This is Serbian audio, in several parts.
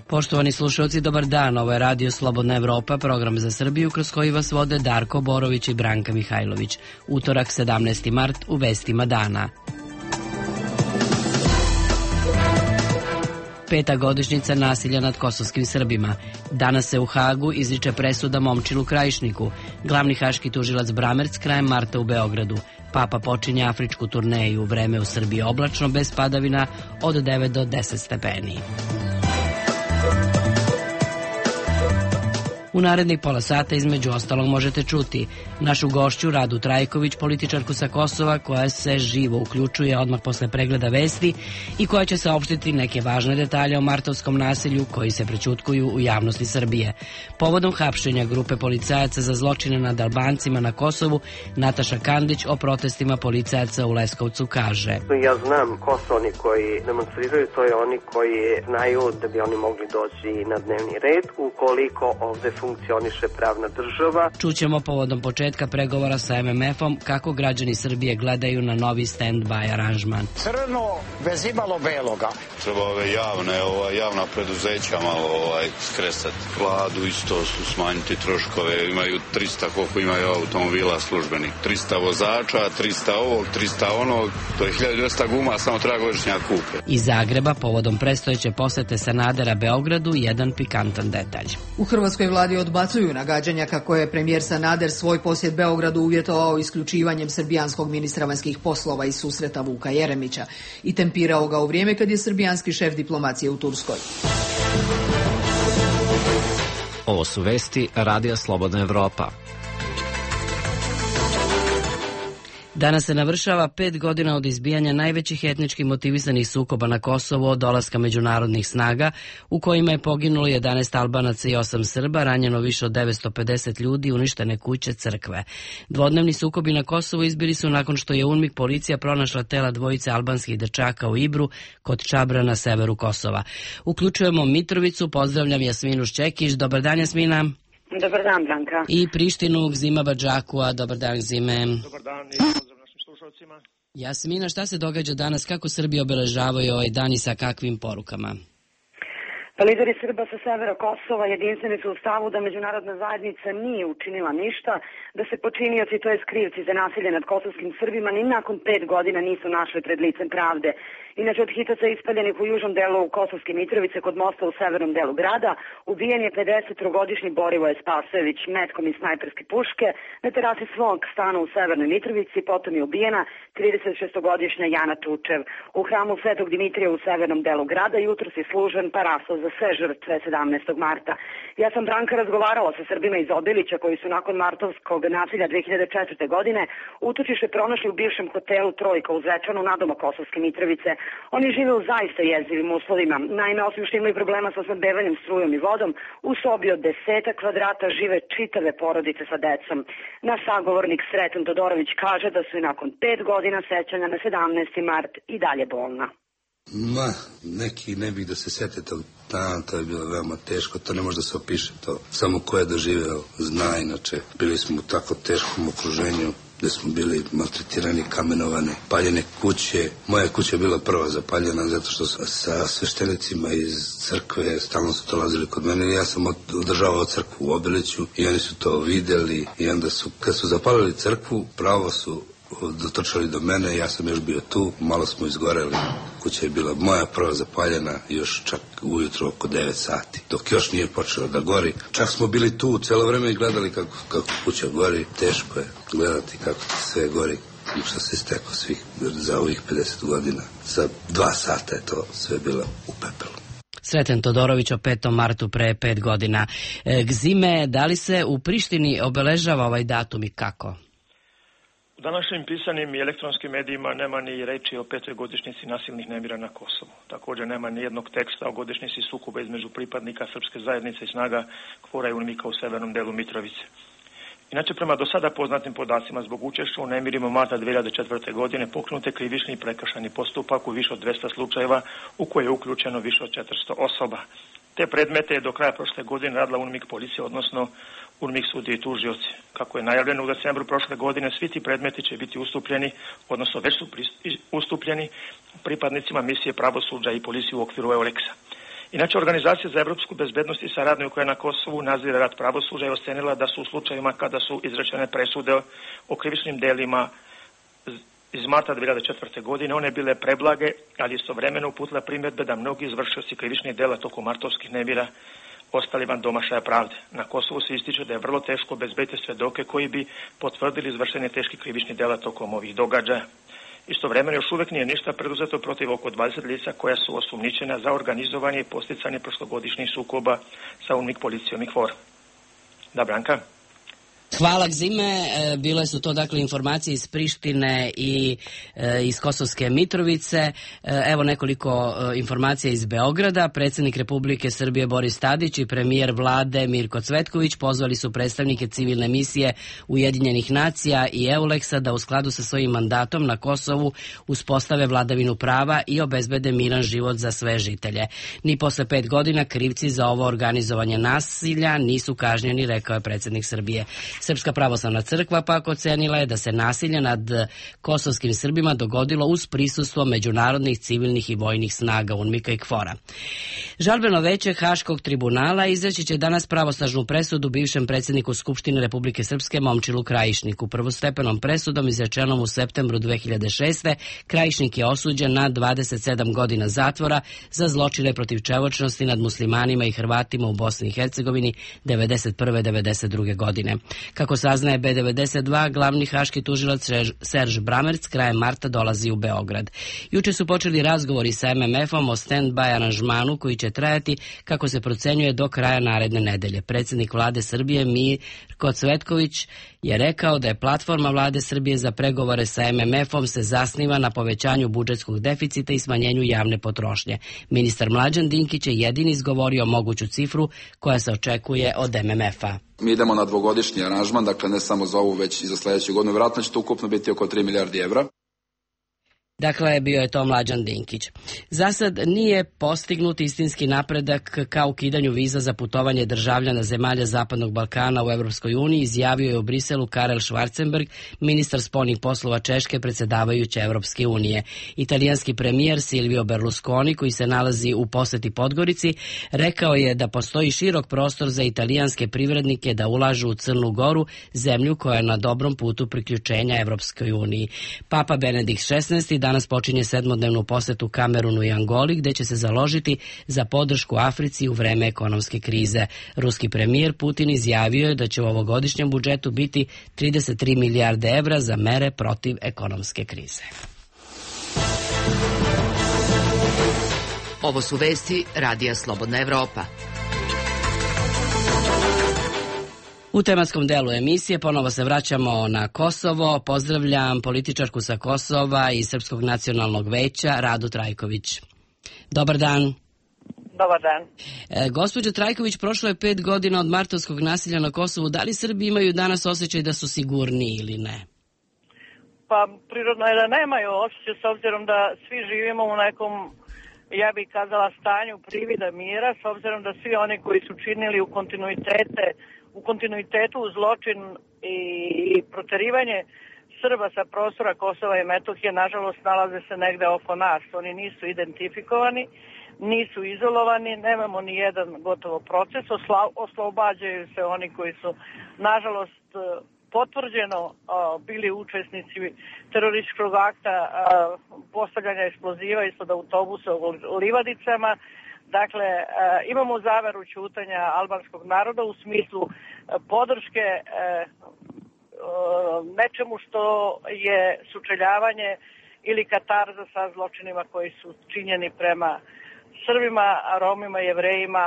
Poštovani slušalci, dobar dan. Ovo je Radio Slobodna Evropa, program za Srbiju kroz koji vas vode Darko Borović i Branka Mihajlović. Utorak, 17. mart, u vestima dana. 5. godišnjica nasilja nad kosovskim Srbima. Danas se u Hagu izriče presuda Momčilu Krajišniku. Glavni haški tužilac Bramerc krajem marta u Beogradu. Papa počinje afričku turneju. Vreme u Srbiji oblačno, bez padavina, od 9 do 10 stepeni. U narednih pola sata između ostalog možete čuti našu gošću Radu Trajković, političarku sa Kosova koja se živo uključuje odmah posle pregleda vesti i koja će saopštiti neke važne detalje o martovskom nasilju koji se prećutkuju u javnosti Srbije. Povodom hapšenja grupe policajaca za zločine nad Albancima na Kosovu, Nataša Kandić o protestima policajaca u Leskovcu kaže: Ja znam ko su oni koji demonstriraju, to je oni koji znaju da bi oni mogli doći na dnevni red ukoliko ovde funkcioniše pravna država. Čućemo povodom početka pregovora sa MMF-om kako građani Srbije gledaju na novi stand-by aranžman. Crno bez imalo beloga. Treba javna preduzeća malo skresati. Vladu isto su smanjiti troškove. Imaju 300 koliko imaju automobila službenih. 300 vozača, 300 ovog, 300 onog. To je 1200 guma, samo treba godišnjak kupe. Iz Zagreba povodom predstojeće posete Sanadera Beogradu jedan pikantan detalj. U hrvatskoj vladi odbacuju nagađanja kako je premijer Sanader svoj posjet Beogradu uvjetovao isključivanjem srbijanskog ministra vanjskih poslova iz susreta Vuka Jeremića i tempirao ga u vrijeme kad je srbijanski šef diplomacije u Turskoj. Ovo su vesti Radija Slobodna Evropa. Danas se navršava 5 godina od izbijanja najvećih etnički motivisanih sukoba na Kosovu od dolaska međunarodnih snaga, u kojima je poginulo 11 Albanaca i 8 Srba, ranjeno više od 950 ljudi, uništene kuće, crkve. Dvodnevni sukobi na Kosovu izbili su nakon što je UNMIK policija pronašla tela dvojice albanskih dečaka u Ibru kod Čabra na severu Kosova. Uključujemo Mitrovicu, pozdravljam Jasminu Šćekić. Dobar dan, Jasmina. Dobar dan, Branka. I Prištinu, Gzima Badžakua. Dobar dan, Gzime. Dobar dan i pozdrav našim slušalcima. Jasmina, šta se događa danas? Kako Srbi obeležavaju ovaj dan i sa kakvim porukama? Pa lideri Srba sa severa Kosova jedinstveni su u stavu da međunarodna zajednica nije učinila ništa, da se počinioci, to je krivci za nasilje nad kosovskim Srbima, ni nakon 5 godina nisu našli pred licem pravde. Inače, od hitaca ispaljenih u južnom delu Kosovske Mitrovice kod mosta u severnom delu grada, ubijen je 53-godišnji Borivoje Spasojević metkom iz snajperske puške na terasi svog stana u severnoj Mitrovici, potom je ubijena 36-godišnja Jana Tučev. U hramu Svetog Dimitrija u severnom delu grada jutros je služen parasos za sve žrtve 17. marta. Ja sam, Branka, razgovarala sa Srbima iz Obilića koji su nakon martovskog nasilja 2004. godine utočište pronašli u bivšem hotelu Trojka u Zvečanu nadomak Kosovske Mitrovice. Oni žive u zaista jezivim uslovima. Naime, osim što imaju problema sa snabdevanjem strujom i vodom, u sobi od 10 kvadrata žive čitave porodice sa decom. Naš sagovornik Sreten Todorović kaže da su i nakon 5 godina sećanja na 17. mart i dalje bolna. Neki ne bih da se sete tog dana, to je bilo veoma teško, to ne može da se opiše, to samo ko je doživeo zna. Inače, bili smo u tako teškom okruženju gde smo bili maltretirani, kamenovani, paljene kuće. Moja kuća je bila prva zapaljena zato što sa sveštenicima iz crkve stalno su dolazili kod mene. Ja sam održavao crkvu u Obiliću i oni su to videli i onda su, kad su zapalili crkvu, pravo su dotrčali do mene, ja sam još bio tu, malo smo izgoreli. Kuća je bila moja prva zapaljena još čak ujutro oko 9 sati, dok još nije počelo da gori. Čak smo bili tu cijelo vreme i gledali kako kuća gori. Teško je gledati kako sve gori i što se steklo svih za ovih 50 godina. Za 2 sata je to sve bilo u pepelu. Sreten Todorović o 5. martu pre 5 godina. Gzime, da li se u Prištini obeležava ovaj datum i kako? U današnjim pisanim i elektronskim medijima nema ni reči o 5. godišnjici nasilnih nemira na Kosovu. Također nema ni jednog teksta o godišnjici sukoba između pripadnika srpske zajednice i snaga KFOR-a i UNMIK-a u severnom delu Mitrovice. Inače, prema do sada poznatim podacima, zbog učešća u nemirima marta 2004. godine pokrenut je krivični i prekršajni postupak u više od 200 slučajeva u koje je uključeno više od 400 osoba. Te predmete je do kraja prošle godine radila UNMIK policija, odnosno UNMIK sudije i tužioci. Kako je najavljeno u decembru prošle godine, svi ti predmeti će biti ustupljeni, odnosno već su ustupljeni pripadnicima misije pravosuđa i policije u okviru EULEX-a. Inače, Organizacija za evropsku bezbednost i saradnju koja na Kosovu nadzire rad pravosuđa je ocenila da su u slučajevima kada su izrečene presude o krivičnim delima iz marta 2004. godine one bile preblage, ali istovremeno uputila primjedbe da mnogi izvršioci krivičnih dela tokom martovskih nemira ostali van domašaja pravde. Na Kosovu se ističe da je vrlo teško obezbediti svedoke koji bi potvrdili izvršenje teških krivičnih dela tokom ovih događaja. Istovremeno još uvek nije ništa preduzeto protiv oko 20 lica koja su osumnjičena za organizovanje i posticanje prošlogodišnjih sukoba sa UNMIK policijom i KFOR. Da, Branka? Hvala, Gzime. Bile su to dakle informacije iz Prištine i iz Kosovske Mitrovice. Evo nekoliko informacija iz Beograda. Predsjednik Republike Srbije Boris Tadić i premijer vlade Mirko Cvetković pozvali su predstavnike civilne misije Ujedinjenih nacija i EULEX-a da u skladu sa svojim mandatom na Kosovu uspostave vladavinu prava i obezbede miran život za sve žitelje. Ni posle 5 godina krivci za ovo organizovanje nasilja nisu kažnjeni, rekao je predsjednik Srbije. Srpska pravoslavna crkva pak ocenila je da se nasilje nad kosovskim Srbima dogodilo uz prisustvo međunarodnih civilnih i vojnih snaga UNMIK-a i KFOR-a. Žalbeno veće Haškog tribunala izreći će danas pravosnažnu presudu bivšem predsjedniku Skupštine Republike Srpske Momčilu Krajišniku. Prvostepenom presudom izrečenom u septembru 2006. Krajišnik je osuđen na 27 godina zatvora za zločine protiv čovječnosti nad muslimanima i Hrvatima u Bosni i Hercegovini 1991-1992. godine. Kako saznaje B92, glavni haški tužilac Serž Bramerc krajem marta dolazi u Beograd. Juče su počeli razgovori sa MMF-om o stand-by aranžmanu koji će trajati, kako se procenjuje, do kraja naredne nedelje. Predsjednik vlade Srbije Mirko Cvetković je rekao da je platforma vlade Srbije za pregovore sa MMF-om se zasniva na povećanju budžetskog deficita i smanjenju javne potrošnje. Ministar Mlađan Dinkić je jedini izgovorio moguću cifru koja se očekuje od MMF-a. Mi idemo na dvogodišnji aranžman, dakle ne samo za ovu, već i za sljedeću godinu. Vjerojatno će to ukupno biti oko 3 milijardi evra. Dakle, bio je to Mlađan Dinkić. Zasad nije postignut istinski napredak ka ukidanju viza za putovanje državljana zemalja Zapadnog Balkana u Evropskoj uniji, izjavio je u Briselu Karel Schwarzenberg, ministar spoljnih poslova Češke predsjedavajuće Evropske unije. Italijanski premijer Silvio Berlusconi, koji se nalazi u poseti Podgorici, rekao je da postoji širok prostor za italijanske privrednike da ulažu u Crnu Goru, zemlju koja je na dobrom putu priključenja Evropskoj uniji. Papa Benedikt XVI danas počinje 7-dnevnu posetu Kamerunu i Angoli, gde će se založiti za podršku Africi u vreme ekonomske krize. Ruski premijer Putin izjavio je da će u ovogodišnjem budžetu biti 33 milijarde evra za mere protiv ekonomske krize. Ovo su vesti Radija Slobodna Evropa. U tematskom delu emisije ponovo se vraćamo na Kosovo. Pozdravljam političarku sa Kosova i Srpskog nacionalnog veća Radu Trajković. Dobar dan. Dobar dan. Gospođo Trajković, prošlo je 5 godina od martovskog nasilja na Kosovu. Da li Srbi imaju danas osjećaj da su sigurniji ili ne? Pa prirodno je da nemaju osjećaj, s obzirom da svi živimo u nekom, ja bih kazala, stanju privida mira, s obzirom da svi oni koji su činili u kontinuitetu zločin i proterivanje Srba sa prostora Kosova i Metohije, nažalost, nalaze se negde oko nas. Oni nisu identifikovani, nisu izolovani, nemamo ni jedan gotovo proces, oslobađaju se oni koji su, nažalost, potvrđeno bili učesnici terorističkog akta postavljanja eksploziva ispod autobusa u Livadicama. Dakle, imamo zaveru ćutanja albanskog naroda u smislu podrške nečemu što je sučeljavanje ili katarza sa zločinima koji su činjeni prema Srbima, Romima, Jevrejima,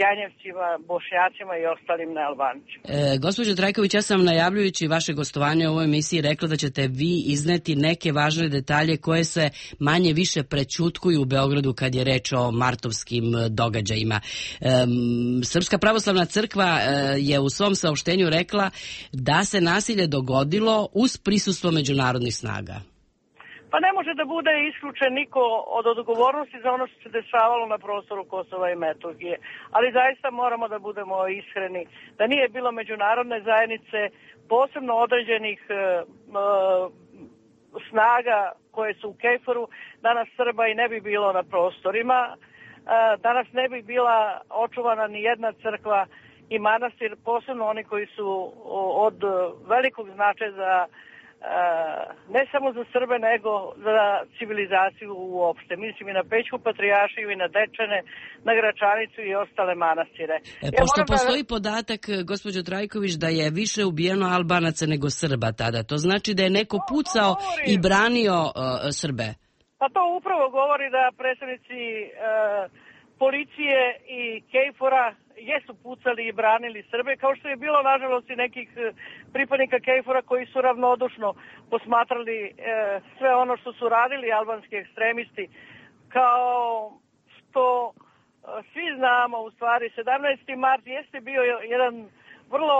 Janjevcima, Bošnjacima i ostalim nealbancima. Gospođo Trajković, ja sam najavljujući vaše gostovanje u ovoj emisiji rekla da ćete vi izneti neke važne detalje koje se manje više prećutkuju u Beogradu kad je reč o martovskim događajima. Srpska pravoslavna crkva je u svom saopštenju rekla da se nasilje dogodilo uz prisustvo međunarodnih snaga. Pa ne može da bude isključen niko od odgovornosti za ono što se dešavalo na prostoru Kosova i Metohije. Ali zaista moramo da budemo iskreni. Da nije bilo međunarodne zajednice, posebno određenih snaga koje su u KFOR-u, danas Srba i ne bi bilo na prostorima. danas ne bi bila očuvana ni jedna crkva i manastir, posebno oni koji su od velikog značaja za ne samo za Srbe, nego za civilizaciju uopšte. Mislim i na Pećku patrijaršiju i na Dečane, na Gračanicu i ostale manastire. Pošto postoji podatak, gospođo Trajković, da je više ubijeno Albanaca nego Srba tada, to znači da je neko pucao i branio Srbe? Pa to upravo govori da predstavnici policije i KFOR-a jesu pucali i branili Srbe, kao što je bilo nažalost i nekih pripadnika KFOR-a koji su ravnodušno posmatrali sve ono što su radili albanski ekstremisti. Kao što svi znamo, u stvari 17. mart jeste bio jedan vrlo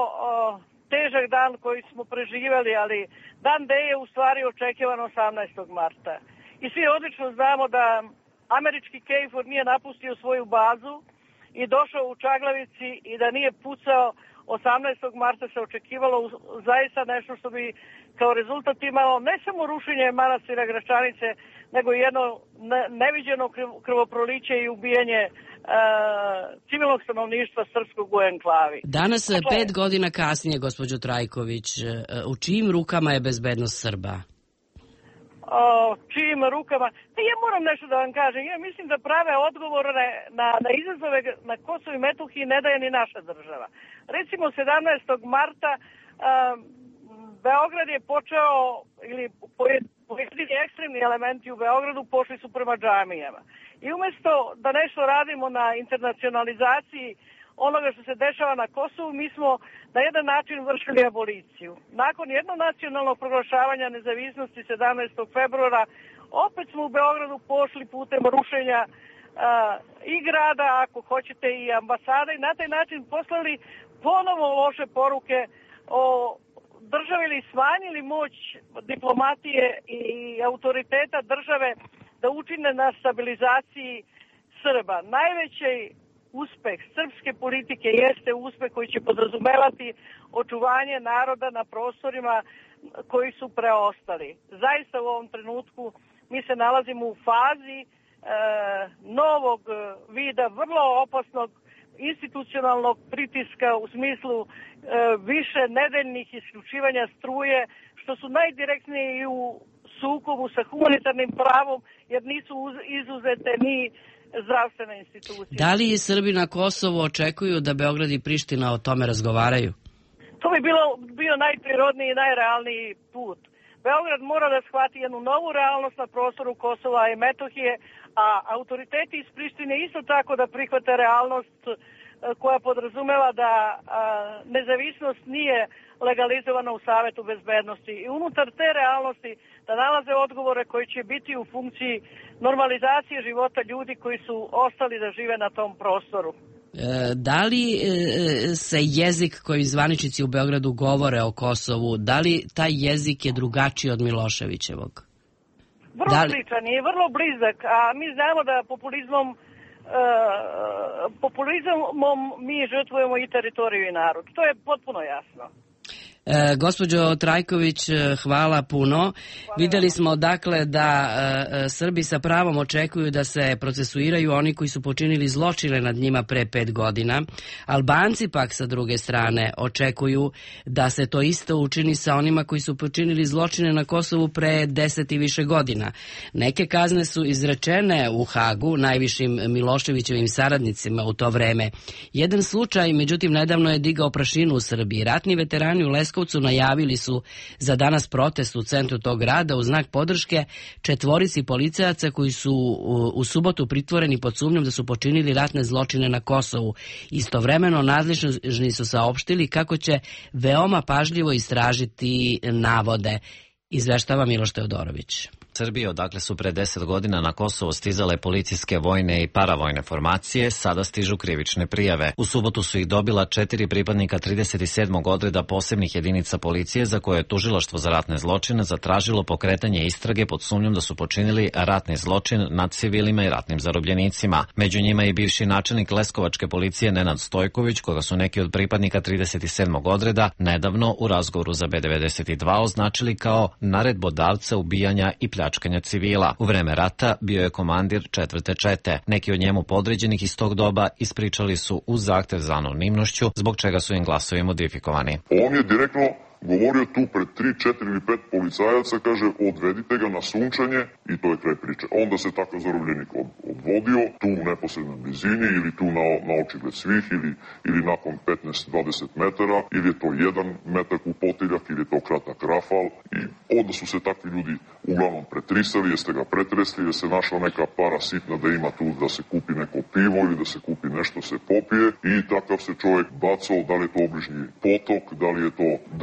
težak dan koji smo preživjeli, ali dan D je u stvari očekivan 18. marta. I svi odlično znamo da američki KFOR nije napustio svoju bazu i došao u Čaglavici i da nije pucao 18. marta se očekivalo zaista nešto što bi kao rezultat imalo ne samo rušenje manastira Gračanice, nego jedno neviđeno krvoproliće i ubijanje civilnog stanovništva srpskog u enklavi. Danas, 5 godina kasnije, gospođo Trajković, u čijim rukama je bezbednost Srba? Čijim rukama? Ja moram nešto da vam kažem. Ja mislim da prave odgovore na izazove na Kosovu i Metohiji ne daje ni naša država. Recimo 17. marta Beograd je počeo, ili pojedini ekstremni elementi u Beogradu pošli su prema džamijama. I umjesto da nešto radimo na internacionalizaciji onoga što se dešava na Kosovu, mi smo na jedan način vršili aboliciju. Nakon jednonacionalnog proglašavanja nezavisnosti 17. februara, opet smo u Beogradu pošli putem rušenja i grada, ako hoćete i ambasada, i na taj način poslali ponovo loše poruke o državi ili smanjili moć diplomatije i autoriteta države da učine na stabilizaciji Srba. Najveći uspeh srpske politike jeste uspeh koji će podrazumevati očuvanje naroda na prostorima koji su preostali. Zaista u ovom trenutku mi se nalazimo u fazi novog vida, vrlo opasnog institucionalnog pritiska u smislu više nedeljnih isključivanja struje, što su najdirektnije i u sukobu sa humanitarnim pravom, jer nisu izuzete ni zdravstvene institucije. Da li Srbi na Kosovu očekuju da Beograd i Priština o tome razgovaraju? To bi bio najprirodniji i najrealniji put. Beograd mora da shvati jednu novu realnost na prostoru Kosova i Metohije, a autoriteti iz Prištine isto tako da prihvate realnost koja podrazumeva da nezavisnost nije legalizovana u Savetu bezbednosti. I unutar te realnosti da nalaze odgovore koji će biti u funkciji normalizacije života ljudi koji su ostali da žive na tom prostoru. Da li se jezik koji zvaničnici u Beogradu govore o Kosovu, da li taj jezik je drugačiji od Miloševićevog? Vrlo sličan i vrlo blizak, a mi znamo da populizmom mi žrtvujemo i teritoriju i narod. To je potpuno jasno. Gospođo Trajković, hvala puno. Videli smo dakle da Srbi sa pravom očekuju da se procesuiraju oni koji su počinili zločine nad njima pre 5 godina. Albanci pak sa druge strane očekuju da se to isto učini sa onima koji su počinili zločine na Kosovu pre 10 i više godina. Neke kazne su izrečene u Hagu najvišim Miloševićevim saradnicima u to vreme. Jedan slučaj, međutim, nedavno je digao prašinu u Srbiji. Ratni veterani u Leskovcu najavili su za danas protest u centru tog grada u znak podrške 4 policajaca koji su u subotu pritvoreni pod sumnjom da su počinili ratne zločine na Kosovu. Istovremeno nadležni su saopštili kako će veoma pažljivo istražiti navode. Izveštava Miloš Teodorović. Srbije, odakle su pre 10 godina na Kosovo stizale policijske, vojne i paravojne formacije, sada stižu krivične prijave. U subotu su ih dobila 4 pripadnika 37. odreda posebnih jedinica policije za koje je tužilaštvo za ratne zločine zatražilo pokretanje istrage pod sumnjom da su počinili ratni zločin nad civilima i ratnim zarobljenicima. Među njima i bivši načelnik Leskovačke policije Nenad Stojković, koga su neki od pripadnika 37. odreda nedavno u razgovoru za B92 označili kao naredbodavca ubijanja i pljačkanja pljačkanja civila. U vreme rata bio je komandir 4. čete. Neki od njemu podređenih iz tog doba ispričali su uz zahtev za anonimnošću, zbog čega su im glasovi modifikovani. On je direktno govorio tu pred 3, 4 ili 5 policajaca, kaže, odvedite ga na sunčanje i to je kraj priče. Onda se takav zarobljenik odvodio tu u neposrednoj blizini ili tu na očigled svih ili nakon 15-20 metara, ili je to 1 metak u potiljak, ili je to kratak rafal i onda su se takvi ljudi uglavnom pretrisali, jeste ga pretresli, jer se našla neka para sitna da ima tu da se kupi neko pivo ili da se kupi nešto se popije i takav se čovjek bacao, da li je to obližnji potok, da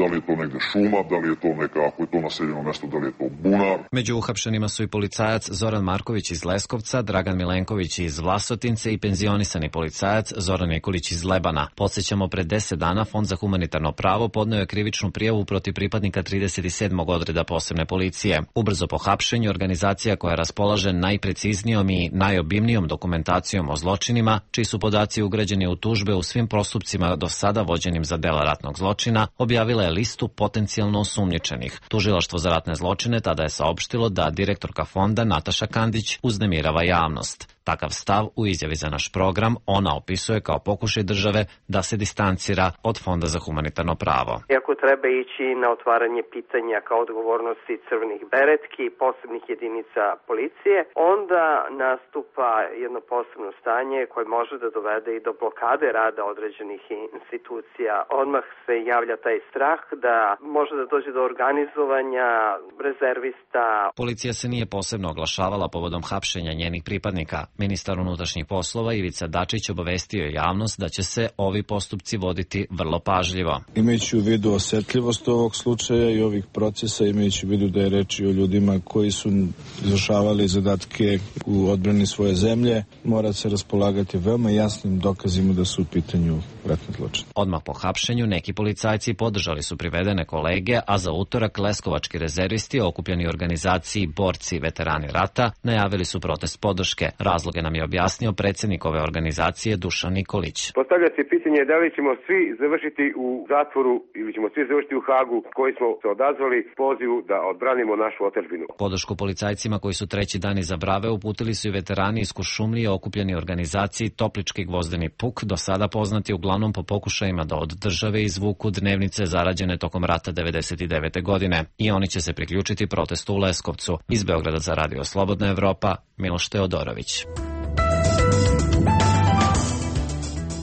li je to negde šuma, da li je to neka, ako je to naseljeno mesto, da li je to bunar. Među uhapšenima su i policajac Zoran Marković iz Leskovca, Dragan Milenković iz Vlasotince i penzionisani policajac Zoran Nikolić iz Lebana. Podsjećamo, pred 10 dana Fond za humanitarno pravo podneo je krivičnu prijavu protiv pripadnika 37. odreda posebne policije. Ubrzo po hapšenju, organizacija koja raspolaže najpreciznijom i najobimnijom dokumentacijom o zločinima, čiji su podaci ugrađeni u tužbe u svim postupcima do sada vođenim za dela ratnog zločina, objavila je listu potencijalno osumnjičenih. Tužilaštvo za ratne zločine tada je saopštilo da direktorka fonda Nataša Kandić uznemirava javnost. Takav stav u izjavi za naš program ona opisuje kao pokušaj države da se distancira od Fonda za humanitarno pravo. Iako treba ići na otvaranje pitanja kao odgovornosti crvenih beretki i posebnih jedinica policije, onda nastupa jedno posebno stanje koje može da dovede i do blokade rada određenih institucija. Odmah se javlja taj strah da može da dođe do organizovanja rezervista. Policija se nije posebno oglašavala povodom hapšenja njenih pripadnika. Ministar unutrašnjih poslova Ivica Dačić obavestio je javnost da će se ovi postupci voditi vrlo pažljivo. Imajući u vidu osetljivost ovog slučaja i ovih procesa, imajući u vidu da je reč o ljudima koji su izvršavali zadatke u odbrani svoje zemlje, mora se raspolagati veoma jasnim dokazima da su u pitanju ratni zločin. Odmah po hapšenju neki policajci podržali su privedene kolege, a za utorak leskovački rezervisti okupljeni u organizaciji Borci veterani rata najavili su protest podrške. Razloge nam je objasnio predsjednik ove organizacije Dušan Nikolić. Postavlja se pitanje da li ćemo svi završiti u zatvoru ili ćemo svi završiti u Hagu koji smo se odazvali pozivu da odbranimo našu otadžbinu. Podršku policajcima koji su treći dan iza brave uputili su i veterani iz Kuršumlije okupljeni u organizaciji Toplički gvozdeni puk, do sada poznati uglavnom po pokušajima da od države izvuku dnevnice zarađene tokom rata 99. godine. I oni će se priključiti protestu u Leskovcu. Iz Beograda za Radio Slobodna Evropa, Miloš Teodorović.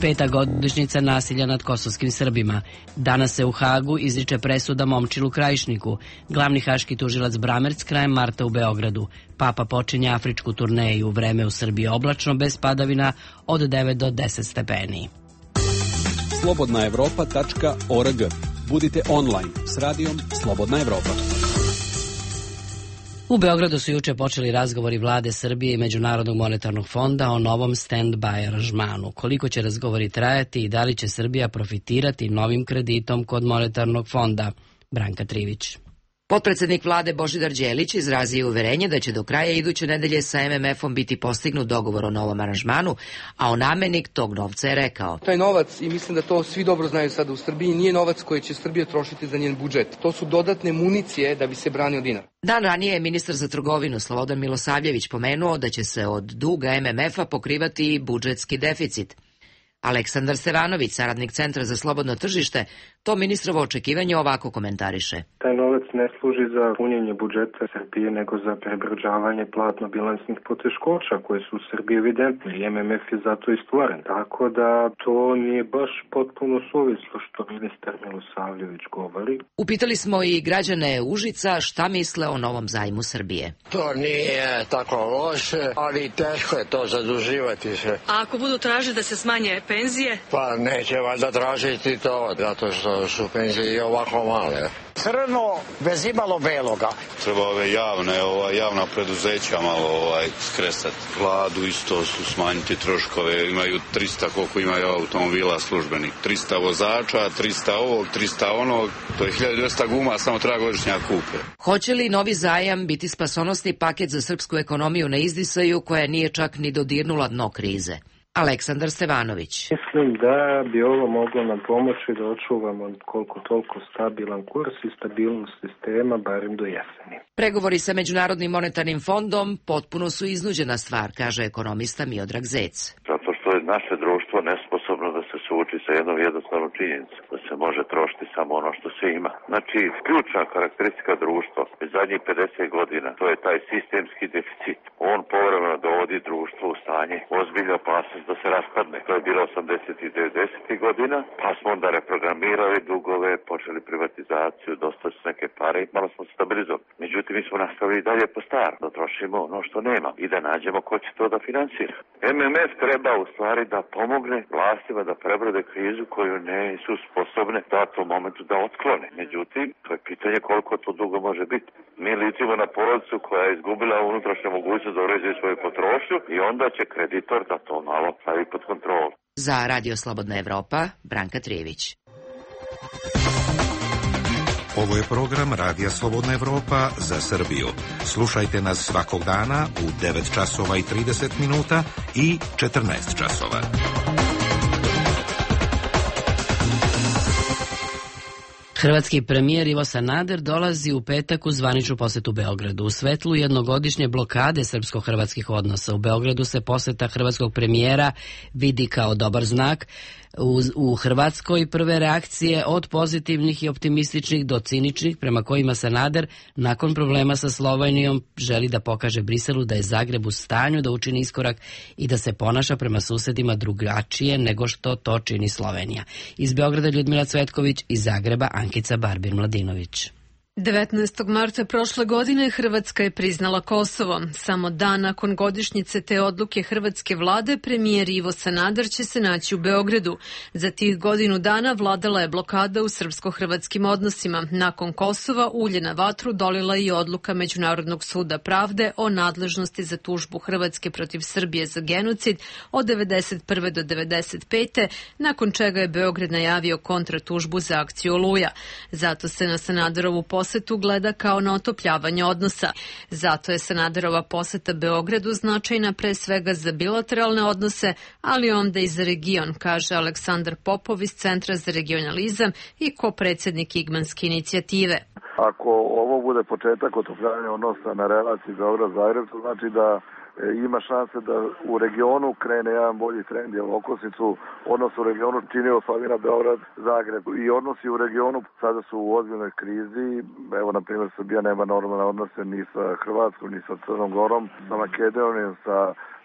5. godišnjica nasilja nad kosovskim Srbima. Danas se u Hagu izriče presuda Momčilu Krajišniku. Glavni haški tužilac Bramerc krajem marta u Beogradu. Papa počinje afričku turneju, vreme u Srbiji oblačno, bez padavina od 9 do 10 stepeni. slobodnaevropa.org. Budite online s radijom Slobodna Evropa. U Beogradu su juče počeli razgovori vlade Srbije i Međunarodnog monetarnog fonda o novom stand-by aranžmanu. Koliko će razgovori trajati i da li će Srbija profitirati novim kreditom kod monetarnog fonda? Branka Trivić. Potpredsednik vlade Božidar Đelić izrazio uverenje da će do kraja iduće nedelje sa MMF-om biti postignut dogovor o novom aranžmanu, a onamenik tog novca je rekao: Taj novac, i mislim da to svi dobro znaju sada u Srbiji, nije novac koji će Srbija trošiti za njen budžet. To su dodatne municije da bi se branio dinar. Dan ranije je ministar za trgovinu Slobodan Milosavljević pomenuo da će se od duga MMF-a pokrivati i budžetski deficit. Aleksandar Stevanović, saradnik Centra za slobodno tržište, to ministrovo očekivanje ovako komentariše. Taj novac ne služi za punjenje budžeta Srbije, nego za prebrađavanje platno-bilansnih poteškoća koje su u Srbiji evidentne i MMF je zato i stvoren. Tako da to nije baš potpuno suvislo što ministar Milosavljević govori. Upitali smo i građane Užica šta misle o novom zajmu Srbije. To nije tako loše, ali teško je to zaduživati se. A ako budu tražili da se smanje penzije? Pa neće valjda tražiti to, zato što su penzije i ovako male. Crno bez imalo beloga. Treba javna preduzeća malo skresati. Vladu isto su smanjiti troškove, imaju 300 koliko imaju automobila službenih. 300 vozača, 300 ovog, 300 onog, to je 1200 guma, samo treba godišnja kupe. Hoće li novi zajam biti spasonosni paket za srpsku ekonomiju na izdisaju koja nije čak ni dodirnula dno krize? Aleksandar Stevanović. Mislim da bi ovo moglo nam pomoći da očuvamo koliko toliko stabilan kurs i stabilnost sistema, barem do jeseni. Pregovori sa Međunarodnim monetarnim fondom potpuno su iznuđena stvar, kaže ekonomista Miodrag Zec. Zato što je naše društvo nesposobno da se suoči sa jednom jednostavnom činjenicom, da se može trošiti samo ono što se ima. Znači, ključna karakteristika društva iz zadnjih 50 godina, to je taj sistemski deficit. On povremeno dovodi društvo u stanje ozbiljne opasnost da se raspadne. To je bilo 80. i 90. godina, pa smo onda reprogramirali dugove, počeli privatizaciju, dosta su neke pare i malo smo stabilizovali. Međutim, mi smo nastavili dalje po starom, da trošimo ono što nema i da nađemo ko će to da finansira. MMF treba u stvari da pomogne vlastima da prebrode krizu koju ne su sposobne u datom momentu da otklone. Međutim, to je pitanje koliko to dugo može biti. Mi licimo na porodicu koja je izgubila unutrašnju mogućnost da uređuje svoju potrošnju i onda će kreditor da to malo stavi pod kontrolu. Za Radio Slobodna Evropa, Branka Trijević. Ovo je program Radija Slobodna Evropa za Srbiju. Slušajte nas svakog dana u 9 časova i 30 minuta i 14 časova. Hrvatski premijer Ivo Sanader dolazi u petak u zvaničnu posetu Beogradu. U svetlu jednogodišnje blokade srpsko-hrvatskih odnosa u Beogradu se poseta hrvatskog premijera vidi kao dobar znak. U Hrvatskoj prve reakcije od pozitivnih i optimističnih do ciničnih, prema kojima Sanader nakon problema sa Slovenijom želi da pokaže Briselu da je Zagreb u stanju da učini iskorak i da se ponaša prema susedima drugačije nego što to čini Slovenija. Iz Beograda Ljudmila Cvetković, iz Zagreba Ankica Barbir-Mladinović. 19. marta prošle godine Hrvatska je priznala Kosovo. Samo dan nakon godišnjice te odluke hrvatske vlade, premijer Ivo Sanader će se naći u Beogradu. Za tih godinu dana vladala je blokada u srpsko-hrvatskim odnosima. Nakon Kosova ulje na vatru dolila i odluka Međunarodnog suda pravde o nadležnosti za tužbu Hrvatske protiv Srbije za genocid od 1991. do 1995. nakon čega je Beograd najavio kontratužbu za akciju Oluja. Zato se na Sanaderovu posetu gleda kao na otopljavanje odnosa. Zato je Sanaderova poseta Beogradu značajna pre svega za bilateralne odnose, ali onda i za region, kaže Aleksandar Popov iz Centra za regionalizam i ko-predsjednik Igmanske inicijative. Ako ovo bude početak otopljavanja odnosa na relaciji Beograd-Zagreb, to znači da ima šanse da u regionu krene jedan bolji trend, jer okosnicu odnos u regionu čini oslavina Beograd-Zagreb i odnosi u regionu sada su u ozbiljnoj krizi. Evo, na primjer, Srbija nema normalne odnose ni sa Hrvatskom, ni sa Crnom Gorom, sa Makedonijom, sa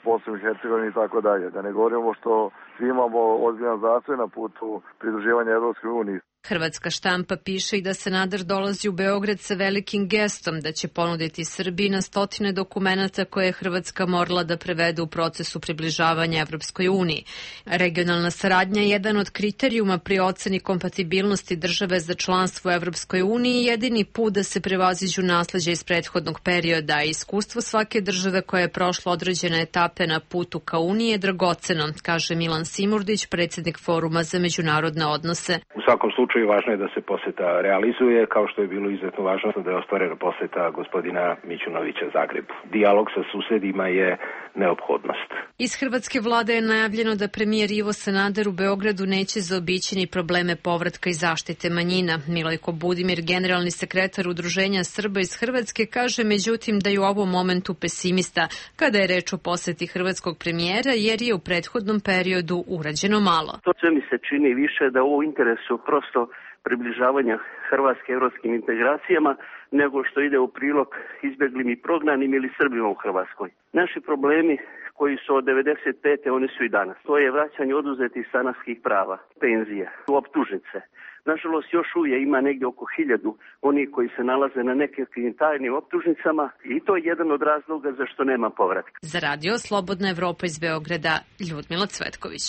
Bosnom i Hercegovinom i tako dalje. Da ne govorimo što svi imamo ozbiljan zastoj na putu pridruživanja Evropskoj uniji. Hrvatska štampa piše i da Sanader dolazi u Beograd sa velikim gestom, da će ponuditi Srbiji na stotine dokumenata koje je Hrvatska morala da prevede u procesu približavanja Evropskoj uniji. Regionalna saradnja je jedan od kriterijuma pri oceni kompatibilnosti države za članstvo u Evropskoj uniji i jedini put da se prevaziđu nasleđe iz prethodnog perioda, a iskustvo svake države koja je prošla određene etape na putu ka uniji je dragoceno, kaže Milan Simurdić, predsjednik Foruma za međunarodne odnose. U svakom slučaju važno je da se poseta realizuje, kao što je bilo izuzetno važno da je ostvarena poseta gospodina Mićunovića Zagrebu. Dijalog sa susedima je neophodnost. Iz hrvatske vlade je najavljeno da premijer Ivo Sanader u Beogradu neće zaobići ni probleme povratka i zaštite manjina. Milojko Budimir, generalni sekretar Udruženja Srba iz Hrvatske, kaže međutim da je u ovom momentu pesimista kada je reč o poseti hrvatskog premijera, jer je u prethodnom periodu urađeno malo. To sve mi se čini više da u interesu prosto približavanja Hrvatske evropskim integracijama nego što ide u prilog izbjeglim i prognanim ili Srbima u Hrvatskoj. Naši problemi koji su od 95. oni su i danas. To je vraćanje oduzetih stanarskih prava, penzije, optužnice. Nažalost, još uvijek ima negdje oko 1000 onih koji se nalaze na nekim tajnim optužnicama i to je jedan od razloga zašto nema povratka. Za Radio Slobodna Evropa iz Beograda, Ljudmila Cvetković.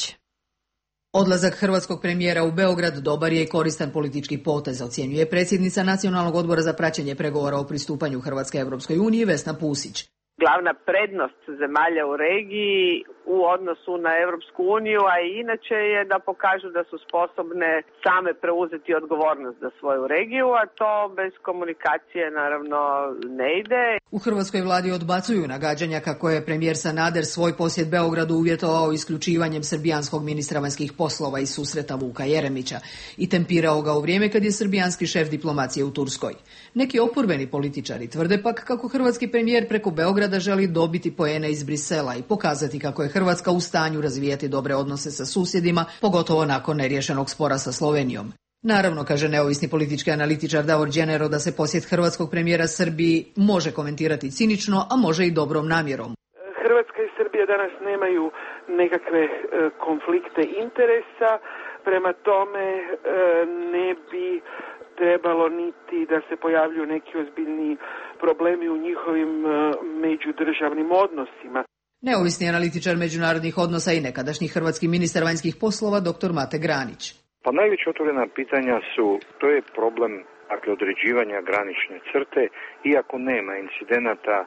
Odlazak hrvatskog premijera u Beograd dobar je i koristan politički potez, ocjenjuje predsjednica Nacionalnog odbora za praćenje pregovora o pristupanju Hrvatske Evropskoj uniji Vesna Pusić. Glavna prednost zemalja u regiji u odnosu na Evropsku uniju, a i inače je da pokažu da su sposobne same preuzeti odgovornost za svoju regiju, a to bez komunikacije naravno ne ide. U hrvatskoj vladi odbacuju nagađanja kako je premijer Sanader svoj posjet Beogradu uvjetovao isključivanjem srbijanskog ministra vanjskih poslova iz susreta Vuka Jeremića i tempirao ga u vrijeme kad je srbijanski šef diplomacije u Turskoj. Neki oporbeni političari tvrde pak kako hrvatski premijer preko Beograda želi dobiti poene iz Brisela i pokazati kako je Hrvatska u stanju razvijati dobre odnose sa susjedima, pogotovo nakon neriješenog spora sa Slovenijom. Naravno, kaže neovisni politički analitičar Davor Đenero, da se posjet hrvatskog premijera Srbiji može komentirati cinično, a može i dobrom namjerom. Hrvatska i Srbija danas nemaju nekakve konflikte interesa, prema tome ne bi trebalo niti da se pojavljuju neki ozbiljni problemi u njihovim međudržavnim odnosima. Neovisni analitičar međunarodnih odnosa i nekadašnji hrvatski ministar vanjskih poslova dr. Mate Granić. Pa najveća otvorena pitanja to je problem određivanja granične crte, iako nema incidenata,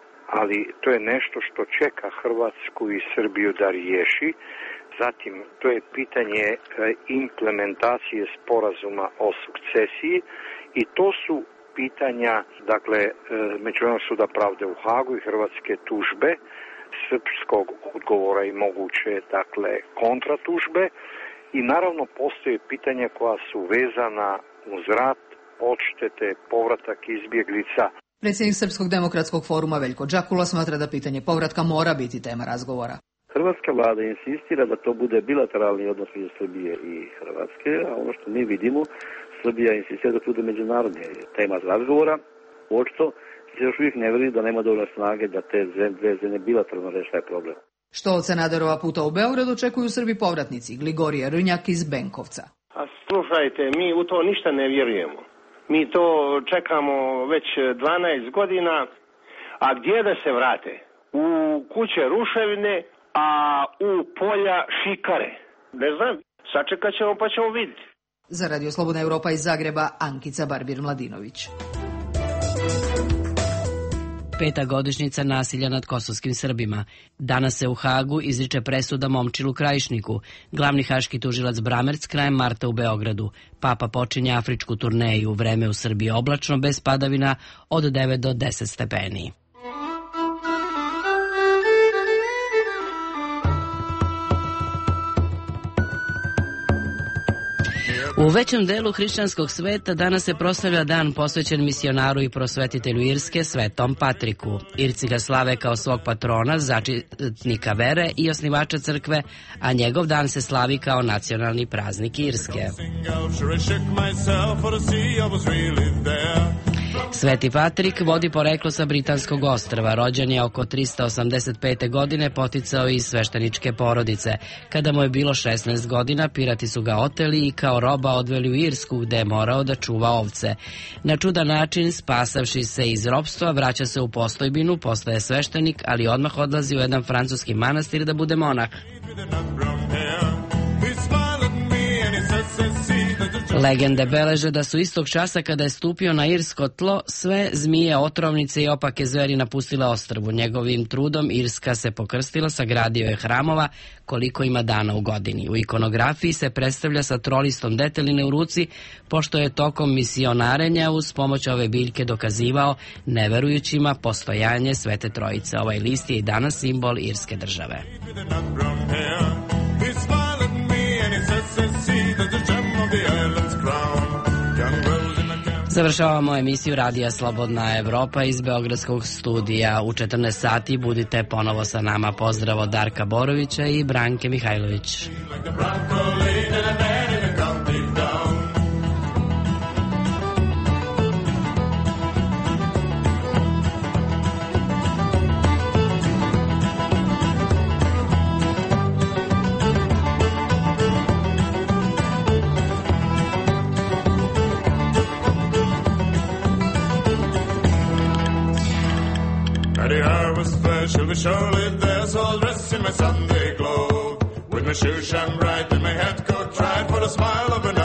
ali to je nešto što čeka Hrvatsku i Srbiju da riješi. Zatim, to je pitanje implementacije sporazuma o sukcesiji i to su pitanja, Međunarodnog suda pravde u Hagu i hrvatske tužbe, srpskog odgovora i moguće, kontratužbe i naravno postoje pitanja koja su vezana uz rat, odštete, povratak izbjeglica. Predsjednik Srpskog demokratskog foruma Veljko Đakula smatra da pitanje povratka mora biti tema razgovora. Hrvatska vlada insistira da to bude bilateralni odnos među Srbije i Hrvatske, a ono što mi vidimo, Srbija insistira da to bude međunarodna tema razgovora. Očito se još uvijek ne vidi da nema dovoljno snage da te dve zemlje bilateralno reše taj problem. Što od Sanaderova puta u Beograd očekuju Srbi povratnici, Gligorije Rnjak iz Benkovca. A slušajte, mi u to ništa ne vjerujemo. Mi to čekamo već 12 godina, a gdje da se vrate? U kuće ruševine, a u polja šikare. Ne znam, sačekat ćemo pa ćemo vidjeti. Za Radio Slobodna Evropa iz Zagreba, Ankica Barbir-Mladinović. 5. godišnjica nasilja nad kosovskim Srbima. Danas se u Hagu izriče presuda Momčilu Krajišniku. Glavni haški tužilac Bramerc krajem marta u Beogradu. Papa počinje afričku turneju. Vreme u Srbiji oblačno, bez padavina, od 9 do 10 stepeni. U većem delu hrišćanskog sveta danas se proslavlja dan posvećen misionaru i prosvetitelju Irske, Svetom Patriku. Irci ga slave kao svog patrona, začetnika vere i osnivača crkve, a njegov dan se slavi kao nacionalni praznik Irske. Sveti Patrik vodi poreklo sa Britanskog ostrva. Rođen je oko 385. godine, poticao iz svešteničke porodice. Kada mu je bilo 16 godina, pirati su ga oteli i kao roba odveli u Irsku, gde je morao da čuva ovce. Na čudan način, spasavši se iz ropstva, vraća se u postojbinu, postaje sveštenik, ali odmah odlazi u jedan francuski manastir da bude monah. Legende beleže da su istog časa kada je stupio na irsko tlo, sve zmije, otrovnice i opake zveri napustile ostrvu. Njegovim trudom Irska se pokrstila, sagradio je hramova koliko ima dana u godini. U ikonografiji se predstavlja sa trolistom deteline u ruci, pošto je tokom misionarenja uz pomoć ove biljke dokazivao neverujućima postojanje Svete Trojice. Ovaj list je i danas simbol irske države. Završavamo emisiju Radija Slobodna Evropa iz Beogradskog studija. U 14 sati budite ponovo sa nama. Pozdrav od Darka Borovića i Branke Mihajlović. Surely there's all dressed in my Sunday glow, with my shoes shine bright and my hat coat tried for the smile of an